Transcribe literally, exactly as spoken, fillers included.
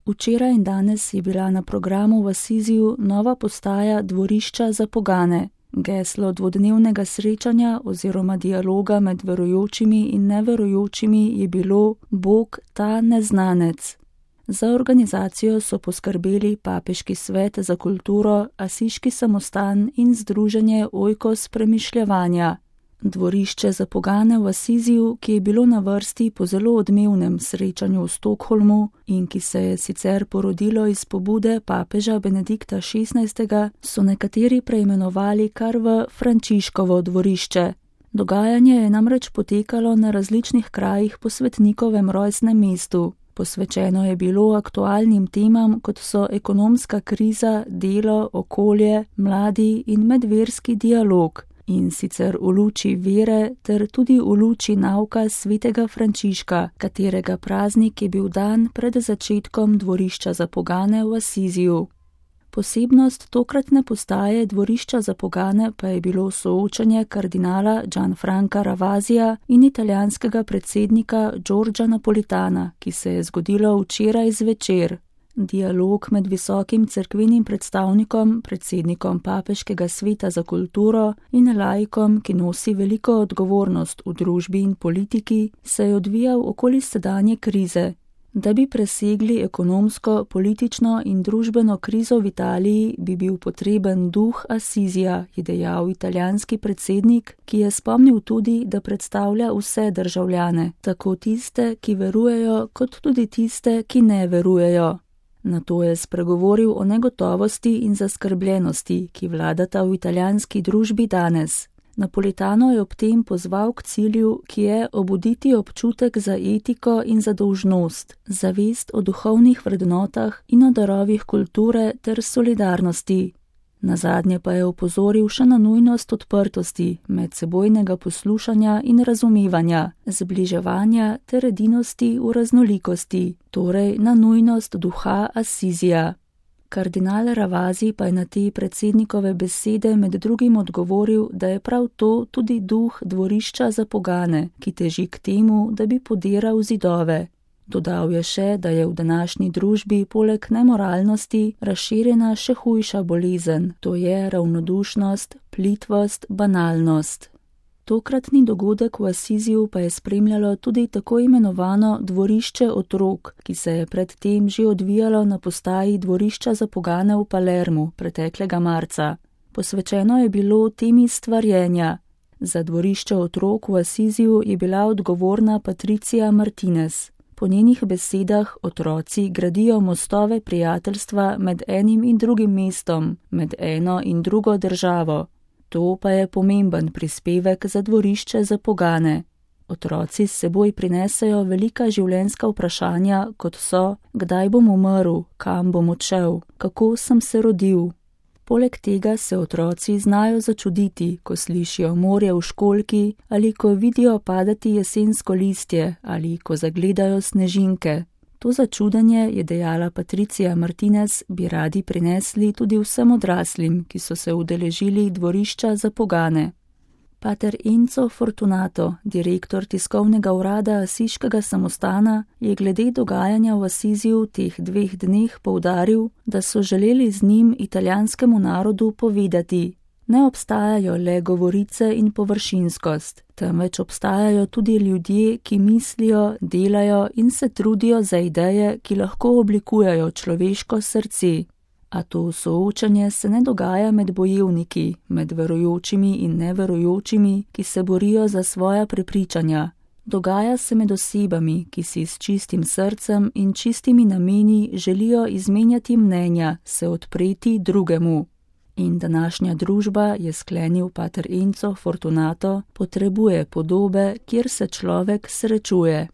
Včeraj in danes je bila na programu v Assisiju nova postaja dvorišča za pogane. Geslo dvodnevnega srečanja oziroma dialoga med verujočimi in neverujočimi je bilo Bog ta neznanec. Za organizacijo so poskrbeli Papeški svet za kulturo, Asiški samostan in združenje Oikos premišljevanja. Dvorišče za pogane v Assisiju, ki je bilo na vrsti po zelo odmevnem srečanju v Stockholmu in ki se je sicer porodilo iz pobude papeža Benedikta šestnajstega, so nekateri preimenovali kar v Frančiškovo dvorišče. Dogajanje je namreč potekalo na različnih krajih po svetnikovem rojstnem mestu. Posvečeno je bilo aktualnim temam, kot so ekonomska kriza, delo, okolje, mladi in medverski dialog. In sicer v luči vere ter tudi v luči nauka svetega Frančiška, katerega praznik je bil dan pred začetkom dvorišča za pogane v Assisiju. Posebnost tokratne postaje dvorišča za pogane pa je bilo soočanje kardinala Gianfranca Ravasija in italijanskega predsednika Giorgia Napolitana, ki se je zgodilo včeraj zvečer. Dialog med visokim cerkvenim predstavnikom, predsednikom Papeškega sveta za kulturo in laikom, ki nosi veliko odgovornost v družbi in politiki, se je odvijal okoli sedanje krize. Da bi presegli ekonomsko, politično in družbeno krizo v Italiji, bi bil potreben duh Assisija, je dejal italijanski predsednik, ki je spomnil tudi, da predstavlja vse državljane, tako tiste, ki verujejo, kot tudi tiste, ki ne verujejo. Nato je spregovoril o negotovosti in zaskrbljenosti, ki vladata v italijanski družbi danes. Napolitano je ob tem pozval k cilju, ki je obuditi občutek za etiko in za dolžnost, zavest o duhovnih vrednotah in o darovih kulture ter solidarnosti. Nazadnje pa je opozoril še na nujnost odprtosti, medsebojnega poslušanja in razumevanja, zbliževanja ter edinosti v raznolikosti, torej na nujnost duha Assisija. Kardinal Ravasi pa je na te predsednikove besede med drugim odgovoril, da je prav to tudi duh dvorišča za pogane, ki teži k temu, da bi podiral zidove. Dodal je še, da je v današnji družbi poleg nemoralnosti razširjena še hujša bolezen, to je ravnodušnost, plitvost, banalnost. Tokratni dogodek v Assisiju pa je spremljalo tudi tako imenovano dvorišče otrok, ki se je predtem že odvijalo na postaji dvorišča za pogane v Palermu preteklega marca. Posvečeno je bilo temi stvarjenja. Za dvorišče otrok v Assisiju je bila odgovorna Patricia Martinez. Po njenih besedah otroci gradijo mostove prijateljstva med enim in drugim mestom, med eno in drugo državo. To pa je pomemben prispevek za dvorišče za pogane. Otroci s seboj prinesejo velika življenjska vprašanja, kot so, kdaj bom umrl, kam bom odšel, kako sem se rodil. Poleg tega se otroci znajo začuditi, ko slišijo morje v školjki ali ko vidijo padati jesensko listje ali ko zagledajo snežinke. To začudenje, je dejala Patricia Martinez, bi radi prinesli tudi vsem odraslim, ki so se udeležili dvorišča za pogane. Pater Enzo Fortunato, direktor tiskovnega urada Asiškega samostana, je glede dogajanja v Assisiju v teh dveh dneh poudaril, da so želeli z njim italijanskemu narodu povedati: ne obstajajo le govorice in površinskost, temveč obstajajo tudi ljudje, ki mislijo, delajo in se trudijo za ideje, ki lahko oblikujejo človeško srce. A to soočanje se ne dogaja med bojevniki, med verujočimi in neverujočimi, ki se borijo za svoja prepričanja. Dogaja se med osebami, ki si s čistim srcem in čistimi nameni želijo izmenjati mnenja, se odpreti drugemu. In današnja družba, je sklenil pater Enzo Fortunato, potrebuje podobe, kjer se človek srečuje.